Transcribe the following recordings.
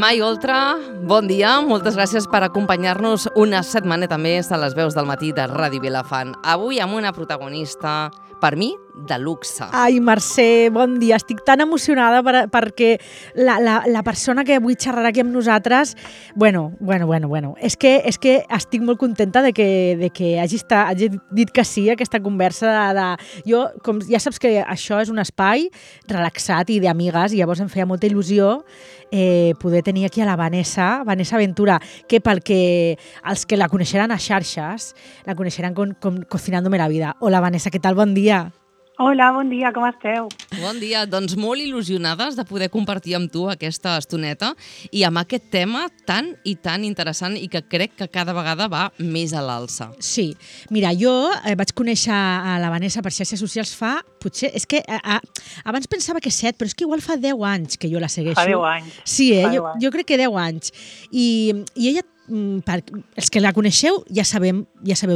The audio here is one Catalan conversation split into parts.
Mai Oltra, bon dia. Moltes gràcies per acompanyar-nos una setmaneta més a les veus del matí de Ràdio Vilafant. Avui amb una protagonista, per mi, de luxe. Ai, Mercè, bon dia. Estic tan emocionada perquè la persona que avui xerrarà aquí amb nosaltres, bueno. És que estic molt contenta de que hagi dit que sí a aquesta conversa. Jo, com ja saps que això és un espai relaxat i d'amigues, i llavors em feia molta il·lusió poder tenir aquí a la Vanessa Ventura, que els que la coneixeran a xarxes, la coneixeran com Cocinándome la vida. Hola, Vanessa, què tal? Bon dia. Hola, bon dia, com esteu? Bon dia, doncs molt il·lusionades de poder compartir amb tu aquesta estoneta i amb aquest tema tan i tan interessant i que crec que cada vegada va més a l'alça. Sí, mira, jo vaig conèixer a la Vanessa per xarxes socials potser, és que abans pensava que 7, però és que igual fa 10 anys que jo la segueixo. Fa 10 anys. Sí, jo crec que 10 anys. I ella, els que la coneixeu ja sabeu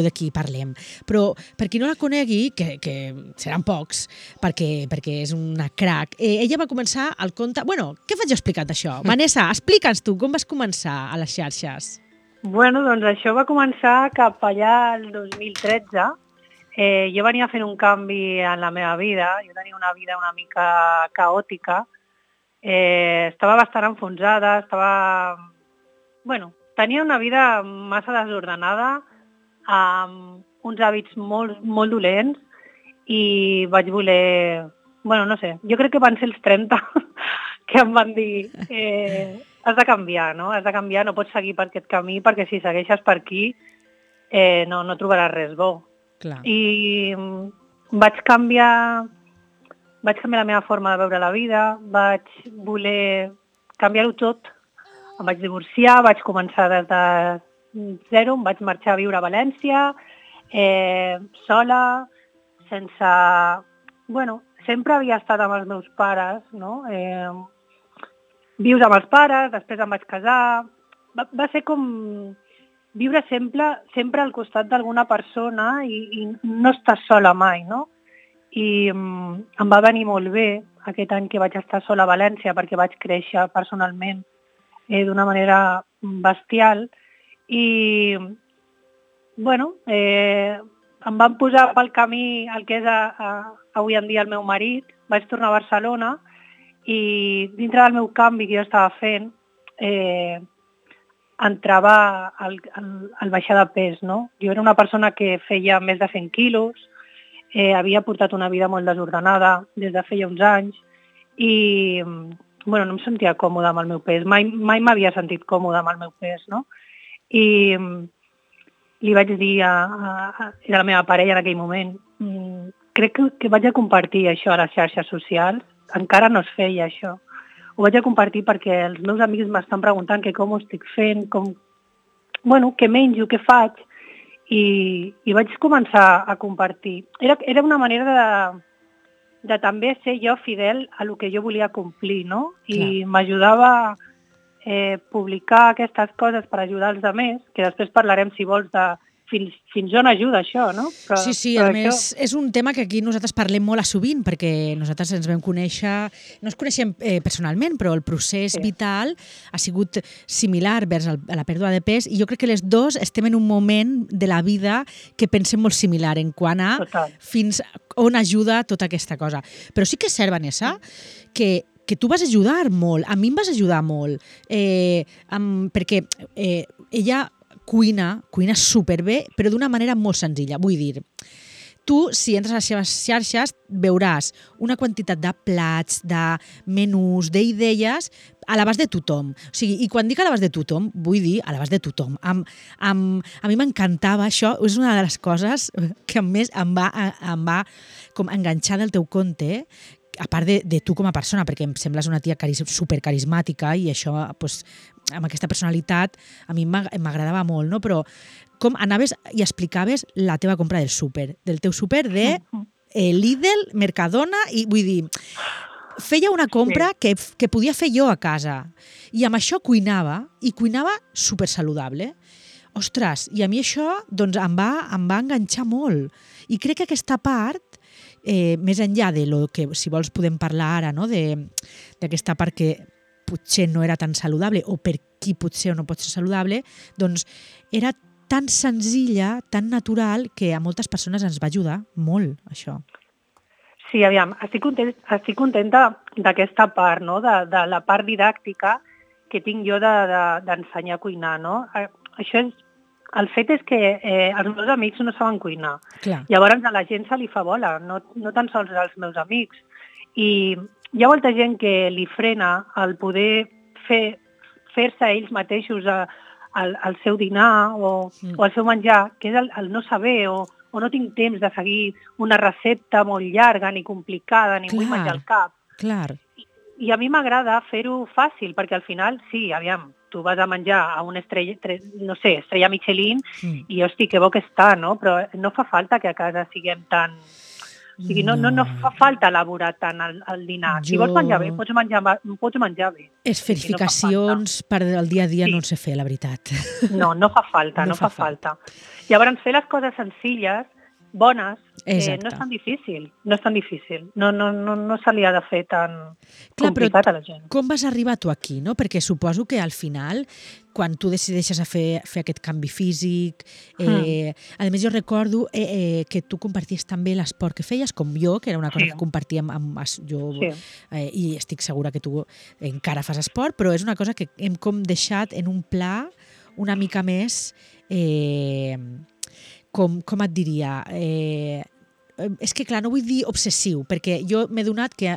de qui parlem, però per qui no la conegui, que seran pocs, perquè és una crac, ella va començar el conte... Bueno, què faig jo explicant això? Vanessa, explica'ns tu, com vas començar a les xarxes? Bueno, doncs això va començar cap allà el 2013. Jo venia fent un canvi en la meva vida, jo tenia una vida una mica caòtica, estava bastant enfonsada, tenia una vida massa desordenada, amb uns hàbits molt, molt dolents, i vaig voler... no sé, jo crec que van ser els 30 que em van dir has de canviar, no? Has de canviar, no pots seguir per aquest camí, perquè si segueixes per aquí no trobaràs res bo. Clar. I vaig canviar la meva forma de veure la vida, vaig voler canviar-ho tot. Em vaig divorciar, vaig començar des de zero, em vaig marxar a viure a València, sola, sense... sempre havia estat amb els meus pares, no? Viure amb els pares, després em vaig casar... Va ser com viure sempre al costat d'alguna persona i no estar sola mai, no? I em va venir molt bé aquest any que vaig estar sola a València, perquè vaig créixer personalment d'una manera bestial i em van posar pel camí el que és avui en dia el meu marit. Vaig tornar a Barcelona i dintre del meu canvi que jo estava fent entrava el baixar de pes, no? Jo era una persona que feia més de 100 quilos, havia portat una vida molt desordenada des de feia uns anys i no em sentia còmoda amb el meu pes, mai m'havia sentit còmoda amb el meu pes, no? I li vaig dir a la meva parella en aquell moment, crec que vaig a compartir això a les xarxes socials, encara no es feia això. Ho vaig a compartir perquè els meus amics m'estan preguntant que com ho estic fent, què menjo, què faig, i vaig començar a compartir. Era una manera de també ser jo fidel a lo que jo volia complir, no? I m'ajudava publicar aquestes coses per ajudar els altres, que després parlarem, si vols, de fins on ajuda això, no? Sí, a més, és un tema que aquí nosaltres parlem molt a sovint, perquè nosaltres ens vam conèixer, no ens coneixem personalment, però el procés vital ha sigut similar vers a la pèrdua de pes, i jo crec que les dues estem en un moment de la vida que pensem molt similar en quant a fins on ajuda tota aquesta cosa. Però sí que és cert, Vanessa, que tu vas ajudar molt, a mi em vas ajudar molt, perquè ella cuina superbé, però d'una manera molt senzilla. Vull dir, tu, si entres a les seves xarxes, veuràs una quantitat de plats, de menús, d'idees a l'abast de tothom. O sigui, i quan dic a l'abast de tothom, vull dir a l'abast de tothom. A mi m'encantava això, és una de les coses que més em va com enganxar del teu compte, a part de tu com a persona, perquè em sembles una tia supercarismàtica i això, amb aquesta personalitat, a mi m'agradava molt, no? Però com anaves i explicaves la teva compra del teu súper de Lidl, Mercadona, i vull dir, feia una compra que podia fer jo a casa. I amb això cuinava supersaludable. Ostres, i a mi això doncs, em va enganxar molt. I crec que aquesta part, més enllà de lo que, si vols, podem parlar ara, no? D'aquesta part que potser no era tan saludable o per qui potser no pot ser saludable, doncs era tan senzilla, tan natural, que a moltes persones ens va ajudar molt, això. Sí, aviam, estic contenta d'aquesta part, no? de la part didàctica que tinc jo d'ensenyar a cuinar, no? Això és, el fet és que els meus amics no saben cuinar. Clar. Llavors a la gent se li fa bola, no tan sols als meus amics. I hi ha molta gent que li frena el poder fer-se ells mateixos el seu dinar o el seu menjar, que és el no saber o no tinc temps de seguir una recepta molt llarga ni complicada, ni vull menjar al cap. Clar. I a mi m'agrada fer-ho fàcil, perquè al final, sí, aviam, tu vas a menjar a una estrella Michelin i, hosti, que bo que està, no? Però no fa falta que a casa siguem tan... O sigui, no fa falta elaborar tant el dinar. Si vols menjar bé, pots menjar bé. Esferificacions per al dia a dia no en sé fer, la veritat. No fa falta, no fa falta. Llavors, fer les coses senzilles, bones, no és tan difícil. No és tan difícil. No se li ha de fer tan complicat a la gent. Com vas arribar tu aquí, no? Perquè suposo que al final, quan tu decideixes fer aquest canvi físic, a més jo recordo que tu comparties també l'esport que feies, com jo, que era una cosa que compartíem amb jo, i estic segura que tu encara fas esport, però és una cosa que hem com deixat en un pla una mica més... Com et diria? És que, clar, no vull dir obsessiu, perquè jo m'he donat que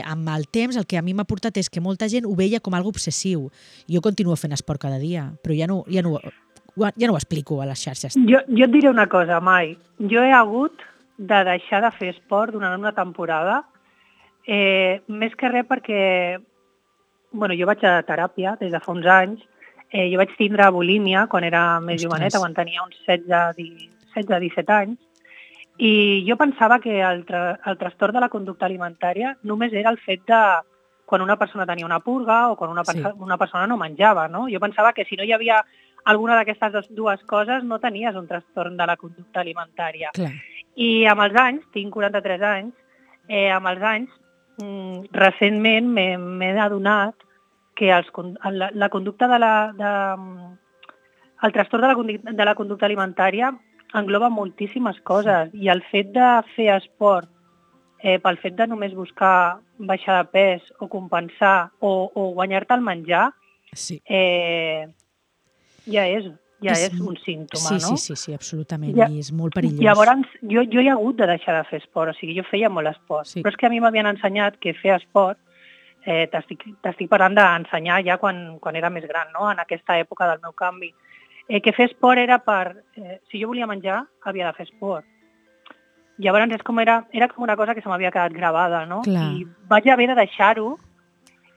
amb el temps el que a mi m'ha portat és que molta gent ho veia com algo obsessiu. Jo continuo fent esport cada dia, però ja no ho explico a les xarxes. Jo et diré una cosa, Mai. Jo he hagut de deixar de fer esport durant una temporada, més que res perquè jo vaig a teràpia des de fa uns anys. Jo vaig tindre bulímia quan era més joveneta, quan tenia uns 16-17 anys, i jo pensava que el trastorn de la conducta alimentària només era el fet de quan una persona tenia una purga o quan una persona no menjava, no? Jo pensava que si no hi havia alguna d'aquestes dues coses no tenies un trastorn de la conducta alimentària. Clar. I amb els anys, tinc 43 anys, recentment m'he adonat que la conducta el trastorn de la conducta alimentària engloba moltíssimes coses, i el fet de fer esport pel fet de només buscar baixar de pes o compensar o guanyar-te el menjar ja és un símptoma, no? Sí, absolutament, i és molt perillós. Llavors, jo he hagut de deixar de fer esport, o sigui, jo feia molt esport, però és que a mi m'havien ensenyat que fer esport t'estic parlant d'ensenyar ja quan era més gran, no? En aquesta època del meu canvi. Que fer esport era si jo volia menjar, havia de fer esport. Llavors era com una cosa que se m'havia quedat gravada, no? Clar. I vaig haver de deixar-ho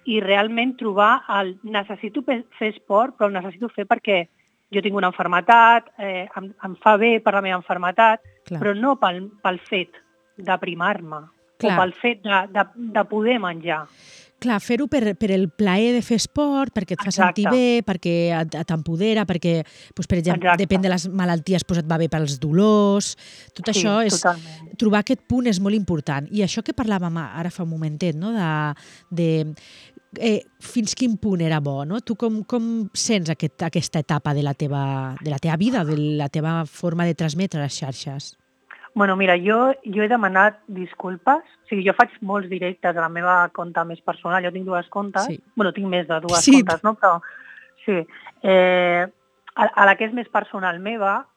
i realment trobar necessito fer esport, però el necessito fer perquè jo tinc una malaltia, em fa bé per la meva malaltia, però no pel fet d'aprimar-me o pel fet de poder menjar. Clar, fer-ho per el plaer de fer esport, perquè et fa sentir bé, perquè t'empodera, perquè, per exemple, depèn de les malalties, et va bé pels dolors. Tot això trobar aquest punt és molt important. I això que parlàvem ara fa un momentet, no? Fins quin punt era bo, no? Tu com sents aquesta etapa de la teva vida, de la teva forma de transmetre les xarxes? Bueno, mira, jo he demanat disculpes. O sigui, jo faig molts directes a la meva compte més personal. Jo tinc dues comptes. Bueno, tinc més de dues comptes, no? Però sí. A la que és més personal meva,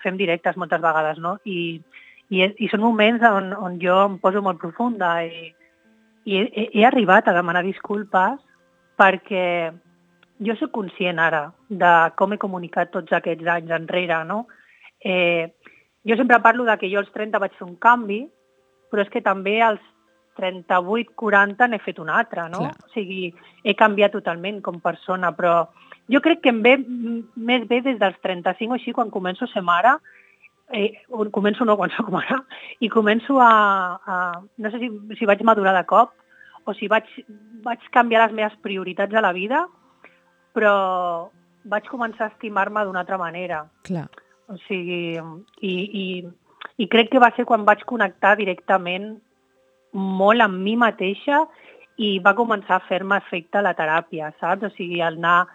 fem directes moltes vegades, no? I són moments on jo em poso molt profunda i he arribat a demanar disculpes perquè jo soc conscient ara de com he comunicat tots aquests anys enrere, no? Jo sempre parlo que jo als 30 vaig fer un canvi, però és que també als 38-40 n'he fet un altre, no? Clar. O sigui, he canviat totalment com persona, però jo crec que em ve més bé des dels 35 o així, quan començo a ser mare, quan soc mare, i començo no sé si vaig madurar de cop o si vaig canviar les meves prioritats a la vida, però vaig començar a estimar-me d'una altra manera. Clar. O sigui, i crec que va ser quan vaig connectar directament molt amb mi mateixa i va començar a fer-me efecte la teràpia, saps? O sigui, el anar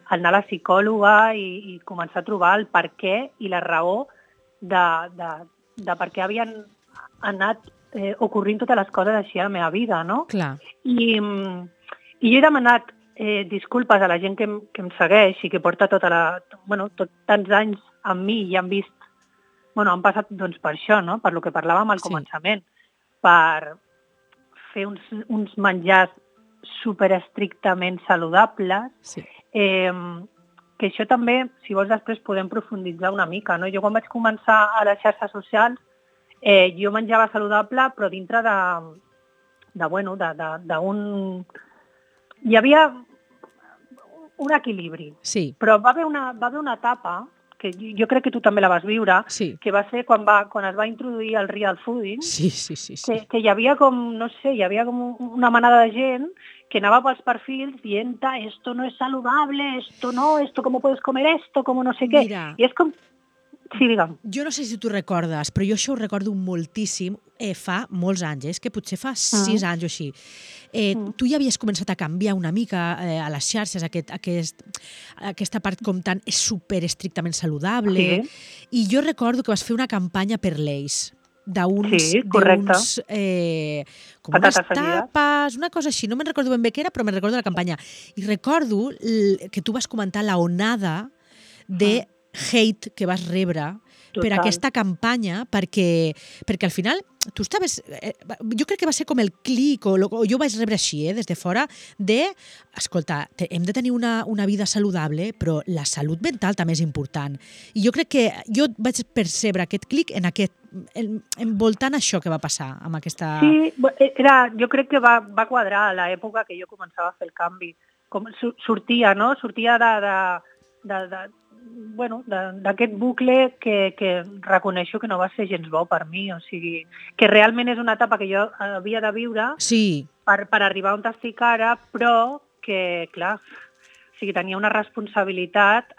a la psicòloga i començar a trobar el per què i la raó de per què havien anat ocorrint totes les coses així a la meva vida, no? Clar. I jo he demanat disculpes a la gent que em segueix i que porta tants anys amb mi i han vist, han passat doncs, per això, no? Per lo que parlàvem al començament, per fer uns menjars superestrictament saludables, que això també, si vols després podem profunditzar una mica, no? Jo quan vaig començar a les xarxes socials, jo menjava saludable, però dintre d'un... Hi havia un equilibri, però va haver una etapa, que jo crec que tu també la vas viure, que va ser quan es va introduir el real fooding, que hi havia com una manada de gent que anava pels perfils dient esto no es saludable, esto cómo puedes comer esto, como no sé què. Mira, I és com... Sí, digue'm. Jo no sé si tu recordes, però jo això ho recordo moltíssim fa molts anys, que potser fa 6 anys o així. Tu ja havies començat a canviar una mica a les xarxes aquesta part com tan super estrictament saludable, i jo recordo que vas fer una campanya per l'Eix, d'unes com unes tapes, una cosa així, no me'n recordo ben bé què era, però me'n recordo la campanya. I recordo que tu vas comentar la onada de hate que vas rebre per aquesta campanya, perquè al final tu estaves... Jo crec que va ser com el clic, o jo vaig rebre així, des de fora, escolta, hem de tenir una vida saludable, però la salut mental també és important. I jo crec que jo vaig percebre aquest clic envoltant això que va passar amb aquesta... Sí, jo crec que va quadrar a l'època que jo començava a fer el canvi. Sortia d'aquest bucle que reconeixo que no va ser gens bo per mi, o sigui, que realment és una etapa que jo havia de viure per arribar on estic ara, però que, clar, o sigui, tenia una responsabilitat,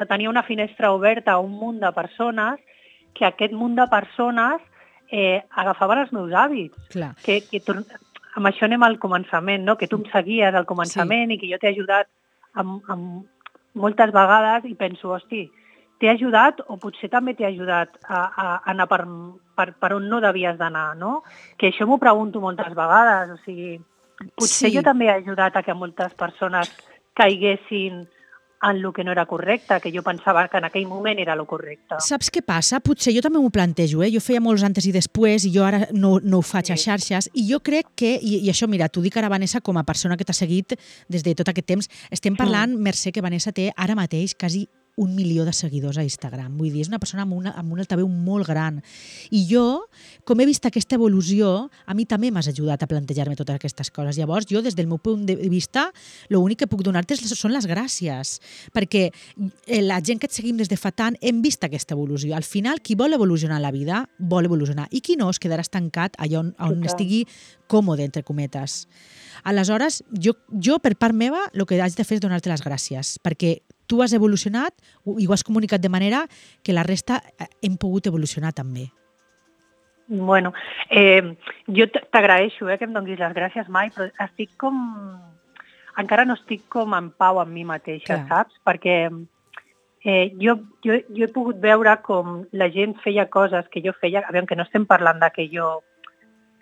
tenia una finestra oberta a un munt de persones, que aquest munt de persones agafaven els meus hàbits. Clar. Amb això anem al començament, no? Que tu em seguies al començament i que jo t'he ajudat amb moltes vegades i penso, hosti, t'he ajudat o potser també t'he ajudat a anar per on no devies d'anar, no? Que això m'ho pregunto moltes vegades, o sigui, potser jo també he ajudat a que moltes persones caiguessin en el que no era correcte, que jo pensava que en aquell moment era el correcte. Saps què passa? Potser jo també m'ho plantejo, Jo feia molts antes i després i jo ara no ho faig a xarxes, i jo crec que, i això, mira, t'ho dic ara, Vanessa, com a persona que t'ha seguit des de tot aquest temps, estem parlant, Mercè, que Vanessa té ara mateix quasi 1 milió de seguidors a Instagram. Vull dir, és una persona amb un altaveu molt gran. I jo, com he vist aquesta evolució, a mi també m'has ajudat a plantejar-me totes aquestes coses. Llavors, jo, des del meu punt de vista, l'únic que puc donar-te són les gràcies. Perquè la gent que et seguim des de fa tant hem vist aquesta evolució. Al final, qui vol evolucionar a la vida, vol evolucionar. I qui no, es quedarà estancat allà on estigui còmode, entre cometes. Aleshores, jo per part meva, el que haig de fer és donar-te les gràcies, perquè tu has evolucionat i ho has comunicat de manera que la resta hem pogut evolucionar també. Bueno, jo t'agraeixo que em donis les gràcies mai, però encara no estic com en pau amb mi mateixa, saps? Perquè jo he pogut veure com la gent feia coses que jo feia, aviam, que no estem parlant de que jo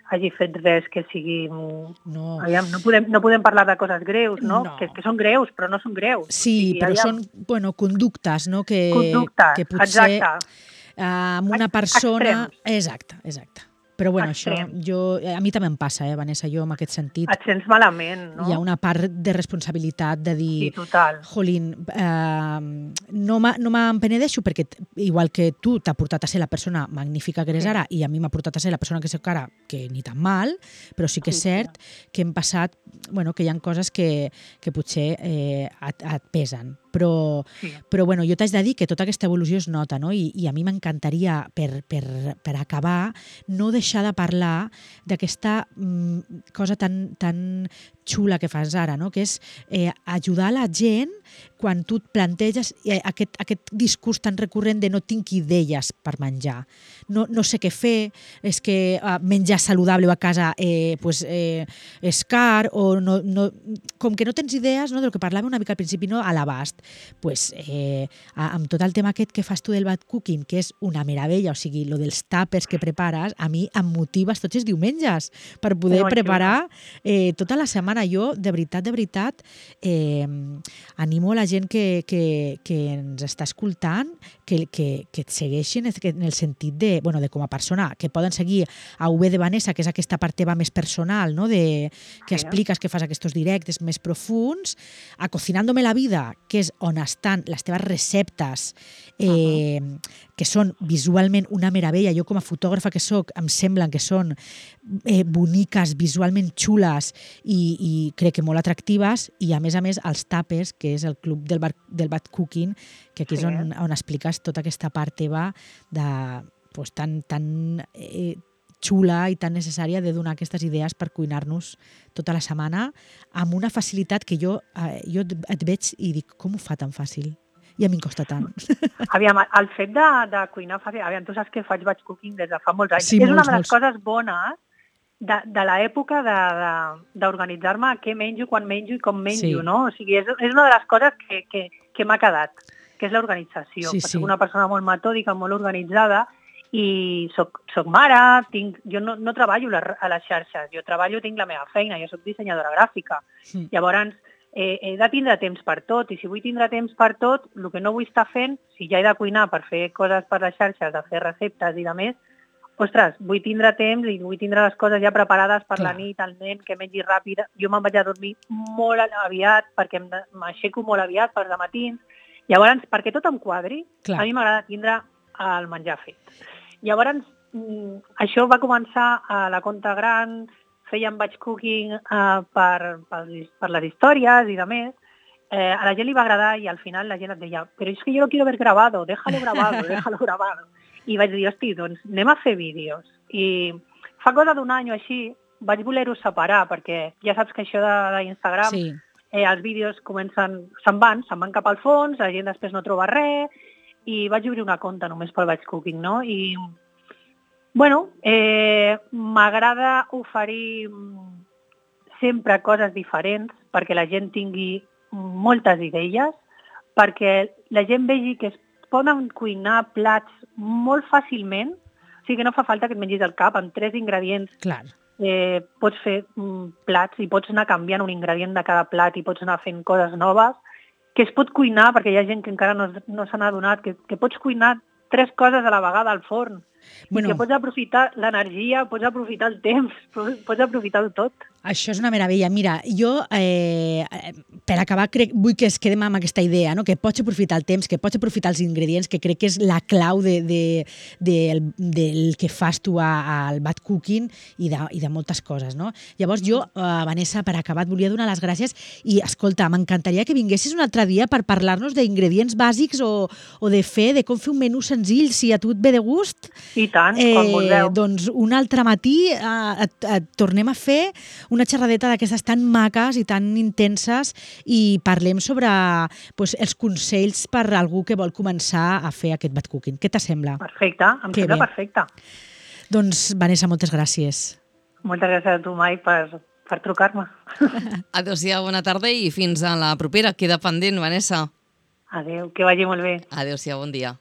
hagi fet res que sigui... No. Aviam, no podem parlar de coses greus, no? Que són greus, però no són greus. Sí, però són conductes, no? Conductes, que potser, exacte. Amb una persona... Extrems. Exacte. Però bueno, això a mi també em passa, Vanessa, jo en aquest sentit. Et sents malament, no? Hi ha una part de responsabilitat de dir... Sí, total. Jolín, no me'n penedeixo perquè igual que tu t'ha portat a ser la persona magnífica que eres ara i a mi m'ha portat a ser la persona que soc ara, que ni tan mal, però sí que és cert que hem passat, que hi ha coses que potser et pesen. Però jo t'haig de dir que tota aquesta evolució es nota, no? I a mi m'encantaria, per acabar, no deixar de parlar d'aquesta cosa tan xula que fas ara, no? Que és ajudar la gent quan tu et planteges aquest discurs tan recurrent de no tinc idees per menjar, no sé què fer, és que menjar saludable a casa és car, o com que no tens idees, no, del que parlàvem una mica al principi, no, a l'abast, amb tot el tema aquest que fas tu del bad cooking, que és una meravella, o sigui, lo dels tàpers que prepares, a mi em motives tots els diumenges per poder preparar tota la setmana. Jo, de veritat, animo a la gent que ens està escoltant que et segueixin en el sentit de com a persona, que poden seguir a UB de Vanessa, que és aquesta part teva més personal, no? Que expliques, que fas aquests directes més profuns, a Cocinándome la vida, que és on estan les teves receptes, que són visualment una meravella. Jo, com a fotògrafa que soc, em semblen que són boniques, visualment xules i crec que molt atractives, i a més els tàpers, que és el club del bad cooking, que aquí és on expliques tota aquesta part teva tan xula i tan necessària de donar aquestes idees per cuinar-nos tota la setmana amb una facilitat que jo et veig i dic, com ho fa tan fàcil? I a mi em costa tant. Aviam, el fet de cuinar fàcil, tu saps que faig batch cooking des de fa molts anys. Sí, és una de les coses bones de l'època d'organitzar-me què menjo, quan menjo i com menjo, no? O sigui, és una de les coses que m'ha quedat, que és l'organització. Soc una persona molt metòdica, molt organitzada, i soc mare, jo no treballo a les xarxes, jo tinc la meva feina, jo soc dissenyadora gràfica. Llavors, he de tindre temps per tot, i si vull tindre temps per tot, el que no vull estar fent, si ja he de cuinar per fer coses per les xarxes, de fer receptes i de més, ostres, vull tindre temps i vull tindre les coses ja preparades per la nit, el nen, que mengi ràpid. Jo me'n vaig a dormir molt aviat, perquè m'aixeco molt aviat per de matins. Llavors, perquè tot em quadri, a mi m'agrada tindre el menjar fet. Llavors, això va començar a la Conta Gran, fèiem batch cooking per les històries i de més. A la gent li va agradar i al final la gent et deia, però és que jo lo quiero ver grabado, déjalo grabado. I vaig dir, hosti, doncs anem a fer vídeos. I fa cosa d'un any o així vaig voler-ho separar, perquè ja saps que això d'Instagram, els vídeos se'n van cap al fons, la gent després no troba res, i vaig obrir una conta només pel batch cooking, no? I, m'agrada oferir sempre coses diferents perquè la gent tingui moltes idees, perquè la gent vegi que es poden cuinar plats molt fàcilment, o sigui que no fa falta que et mengis al cap amb 3 ingredients. Pots fer plats i pots anar canviant un ingredient de cada plat i pots anar fent coses noves, que es pot cuinar, perquè hi ha gent que encara no se n'ha adonat, que pots cuinar 3 coses a la vegada al forn, que pots aprofitar l'energia, pots aprofitar el temps, pots aprofitar-ho tot. Això és una meravella. Mira, jo, per acabar, vull que es quedem amb aquesta idea, no? Que pots aprofitar el temps, que pots aprofitar els ingredients, que crec que és la clau del que fas tu al bad cooking i de moltes coses, no? Llavors jo, Vanessa, per acabar, et volia donar les gràcies i, escolta, m'encantaria que vinguessis un altre dia per parlar-nos d'ingredients bàsics o de com fer un menú senzill, si a tu et ve de gust. I tant, quan vulgueu. Doncs un altre matí et tornem a fer una xerradeta d'aquestes tan maques i tan intenses i parlem sobre els consells per a algú que vol començar a fer aquest bad cooking. Què t'assembla? Perfecte, em sembla perfecte. Doncs, Vanessa, moltes gràcies. Moltes gràcies a tu, Mai, per trucar-me. Adéu-siau, bona tarda i fins a la propera. Queda pendent, Vanessa. Adéu, que vagi molt bé. Adéu-siau, bon dia.